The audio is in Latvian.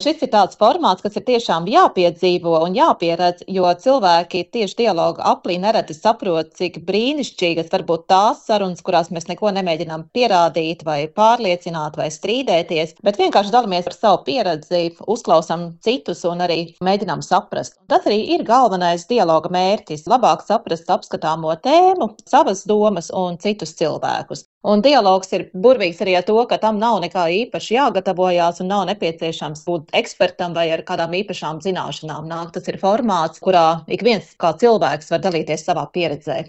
šis ir tāds formāts, kas ir tiešām jāpiedzīvo un jāpieredz, jo cilvēki tieši dialoga aplī nereti saprot, cik brīnišķīgas var būt tās sarunas, kurās mēs neko nemēģinām pierādīt vai pārliecināt vai strīdēties, bet vienkārši dalāmies ar savu pieredzi, uzklausām citus un arī mēģinām saprast. Tas arī ir galvenais dialoga mērķis - labāk saprast apskatāmo tēmu, savas domas un citus cilvēkus. Un dialogs ir burvīgs arī ar to, ka tam nav nekā īpaši jāgatavojās un nav nepieciešams būt ekspertam vai ar kādām īpašām zināšanām. Tas ir formāts, kurā ik viens kā cilvēks var dalīties savā pieredzē.